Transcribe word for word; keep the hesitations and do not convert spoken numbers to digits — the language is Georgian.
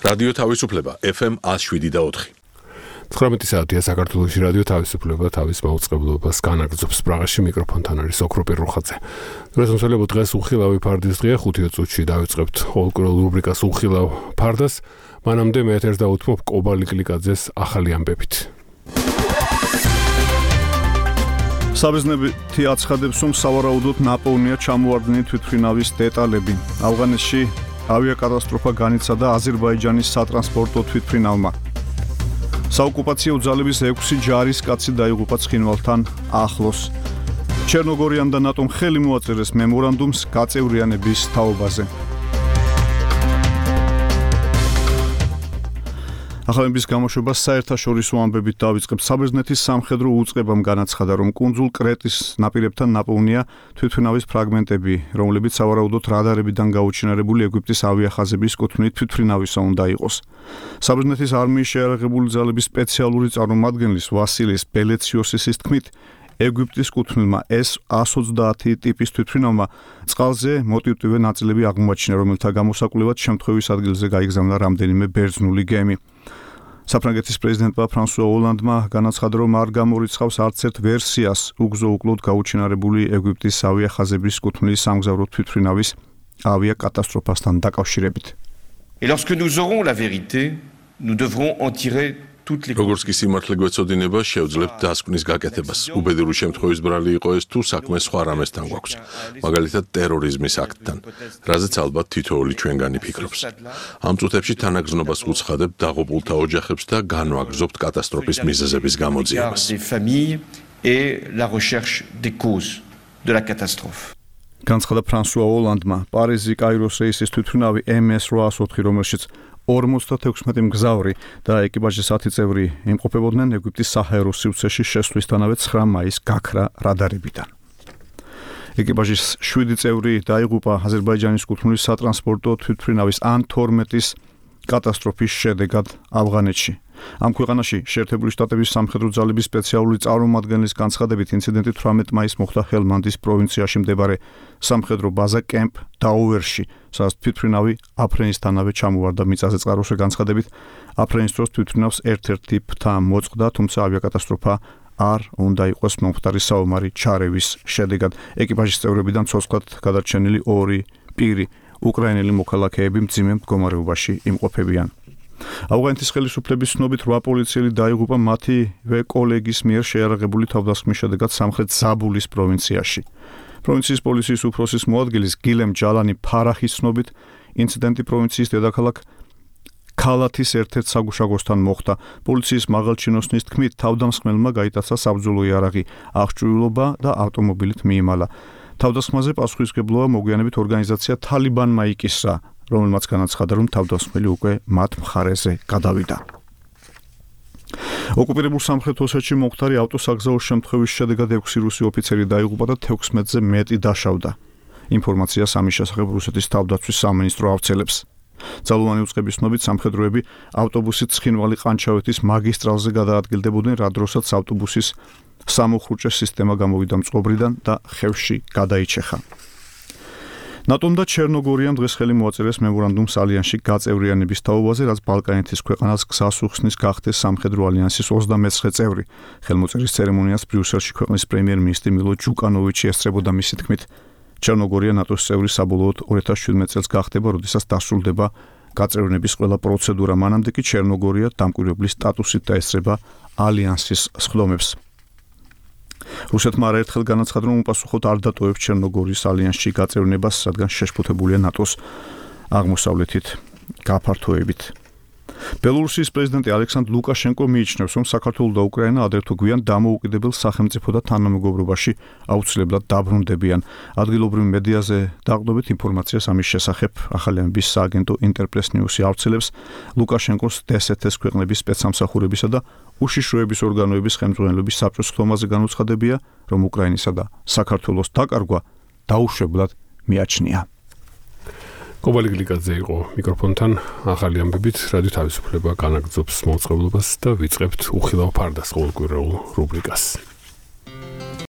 რადიო თავისუფლება ეფ ემ one oh seven და four. ცხრამეტი საათია საქართველოში რადიო თავისუფლება თავის მაუწყებლობას განაგრძობს. პრაღაში მიკროფონთან არის ოქროპირ რუხაძე. დღესმსვლელობ დღეს უხილავი ფარდის დღეა. ხუთი წუთში დავიწყებთ ყოველკვირეულ რუბრიკას უხილავ ფარდას. მანამდე მე ეთერს დავუთმობ კობალი კლიკაძეს ახალი ამბებით. საბერძნეთი აცხადებს, რომ სავარაუდოდ ნაპოვნია ჩამოარდნილი თვითმფრინავის დეტალები. ავღანეთში ავიაკატასტროფა განიცადა აზერბაიჯანის სატრანსპორტო თვითმფრინავმა. საოკუპაციო ძალების ექვსი ჯარისკაცი დაიღუპა ცხინვალთან ახლოს. ჩერნოგორიამ და ნატომ ხელი მოაწერეს მემორანდუმს გაწევრიანების თაობაზე. ახალების გამოშვება საერთაშორისო ამბებით დავიწყებ. საბერძნეთის სამხედრო უწყებამ განაცხადა, რომ კუნძულ კრეტის ნაპირებთან ნაპოვნია თვითმფრინავის ფრაგმენტები, რომლებიც სავარაუდოდ რადარებიდან გაუჩინარებული ეგვიპტის ავიახაზების კუთვნით თვითმფრინავისა უნდა იყოს. საბერძნეთის არმიის შეიარაღებული ძალების სპეციალური წარმომადგენლის ვასილის ბელეციოსის თქმით, ეგვიპტის კუთვნილმა ეს one twenty ტიპის თვითმფრინავმა წყალზე მოტივტივე ნაწილები აღმოაჩინა, რომელთა გამოსაკვლევად შემთხვევის ადგილზე გაიგზავნა რამდენიმე ბერძნული გემი. საფრანგეთის პრეზიდენტმა ფრანსუა ოლანდმა განაცხადა, რომ არ გამორიცხავს არც ერთ ვერსიას უგზო-უკლოდ გაუჩინარებული ეგვიპტის ავიახაზების კუთვნილის სამგზავრო თვითმფრინავის ავიაკატასტროფასთან დაკავშირებით. Et lorsque nous aurons la vérité, nous devrons en tirer toutes les როგორც კი სიმართლე გვეცოდინება, შევძლებთ დასკვნის გაკეთებას. უბედური შემთხვევის ბრალი იყო ეს თუ საქმე სხვა რამესთან გვაქვს, მაგალითად ტერორიზმის აქტთან, რაზეც ალბათ თითოეული ჩვენგანი ფიქრობს. ამ წუთებში თანაგზნობას ვუცხადებ დაღუპულთა ოჯახებს და განვაგრძობთ კატასტროფის მიზეზების გამოძიებას. et la recherche des causes de la catastrophe. განცხადა ფრანსუა ოლანდმა. პარიზი კაიროს რეისის თვითმფრინავი ემ ეს eight oh four, რომელშიც ორმოცდათექვსმეტი მგზავრი და ეკიპაჟის ათი წევრი იმყოფებოდნენ, ეგვიპტის საჰაერო სივრცეში შესვლისთანავე ცხრა მაისს გაქრა რადარებიდან. ეკიპაჟის შვიდი წევრი დაიღუპა აზერბაიჯანის კუთვნილის სატრანსპორტო თვითმფრინავის ან თორმეტის კატასტროფის შედეგად ავღანეთში. ამ ქვეყანაში შეერთებული შტატების სამხედრო ძალების სპეციალური წარმომადგენლის განცხადებით, ინციდენტი თვრამეტი მაისს მოხდა ჰელმანდის პროვინციაში მდებარე სამხედრო ბაზა კემპ დაუერში, სადაც თვითმფრინავი აფრენისთანავე ჩამოვარდა. მიწაზე წყაროს განცხადებით, აფრენის დროს თვითმფრინავს ერთ-ერთი ფრთა მოწყდა, თუმცა ავიაკატასტროფა არ უნდა იყოს მომხდარი საომარი ჩარევის შედეგად. ეკიპაჟის წევრებიდან ცოცხლად გადარჩენილი ორი პირი უკრაინელი მოქალაქეები მძიმე მდგომარეობაში იმყოფებიან. ავღანეთის ხელისუფლების ცნობით რვა პოლიციელი დაიღუპა მათივე კოლეგის მიერ შეიარაღებული თავდასხმის შედეგად სამხრეთ ზაბულის პროვინციაში. პროვინციის პოლიციის უფროსის მოადგილის გილემ ჯალანი ფარახის ცნობით, ინციდენტი პროვინციის დედაქალაქ ქალათის ერთ-ერთ საგუშაგოსთან მოხდა. პოლიციის მაღალჩინოსნის თქმით, თავდამსხმელმა გაიტაცა საბრძოლო იარაღი, აღჭურვილობა და ავტომობილით მიიმალა. თავდასხმაზე პასუხისმგებლობა მოგვიანებით ორგანიზაცია თალიბანმა იკისრა, რომელმაც განაცხადა, რომ თავდასხმელი უკვე მათ მხარეზე გადავიდა. ოკუპირებულ სამხრეთ ოსეთში მომხდარი ავტოსაგზაო შემთხვევის შედეგად ექვსი რუსი ოფიცერი დაიღუპა და თექვსმეტზე მეტი დაშავდა. ინფორმაციას ამის შესახებ რუსეთის თავდაცვის სამინისტრო ავრცელებს. ძალოვანი უწყების ცნობით სამხედროები ავტობუსით ცხინვალი-ყანჩავეთის მაგისტრალზე გადაადგილდებოდნენ, რა დროსაც ავტობუსის სამოხრუჭე სისტემა გამოვიდა მწყობრიდან და ხევში გადაიჩეხა. ნატომ და ჩერნოგორიამ დღეს ხელი მოაწერეს მემორანდუმს ალიანსში გაწევრიანების თაობაზე, რაც ბალკანეთის ქვეყანას გზას უხსნის გახდეს სამხედრო ალიანსის ოცდამეცხრე წევრი. ხელმოწერის ცერემონიას ბრიუსელში ქვეყნის პრემიერ-მინისტრი მილო ჯუკანოვიჩი ესწრებოდა. მისი თქმით, ჩერნოგორია ნატოს წევრი საბოლოოდ ორი ათას შვიდმეტ წელს გახდება, როდესაც დასრულდება გაწევრიანების ყველა პროცედურა. მანამდე კი ჩერნოგორია დამკვირვებლის სტატუსით დაესწრება ალიანსის სხდომებს. რუსეთმა არაერთხელ განაცხადა, რომ უპასუხოდ არ დატოვებს ჩერნოგორიის ალიანსში გაწევრიანებას, რადგან შეშფოთებულია ნატოს აღმოსავლეთით გაფართოებით. ბელორუსიის პრეზიდენტი ალექსანდრ ლუკაშენკო მიიჩნევს, რომ საქართველო და უკრაინა ადრე თუ გვიან დამოუკიდებელ სახელმწიფო და თანამეგობრობაში აუცილებლად დაბრუნდებიან. ადგილობრივ მედიაზე დაყრდნობით ინფორმაციას ამის შესახებ ახალი ამბის სააგენტო ინტერპრეს ნიუსი ავრცელებს. ლუკაშენკოს დე ეს ეთ-ის ქვეყნების სპეცსამსახურებისა და უშიშროების ორგანოების ხელმძღვანელობის საბჭოს ხდომაზე განუცხადებია, რომ უკრაინისა და საქართველოს დაკარგვა დაუშვებლად მიაჩნია. კობალი გლიკაძე იყო მიკროფონთან. ახალი ამბებით რადიო თავისუფლება განაგრძობს მოწყობილობას და ვიწყებთ უხილავ ფარდას ყოველკვირეულ რუბრიკას.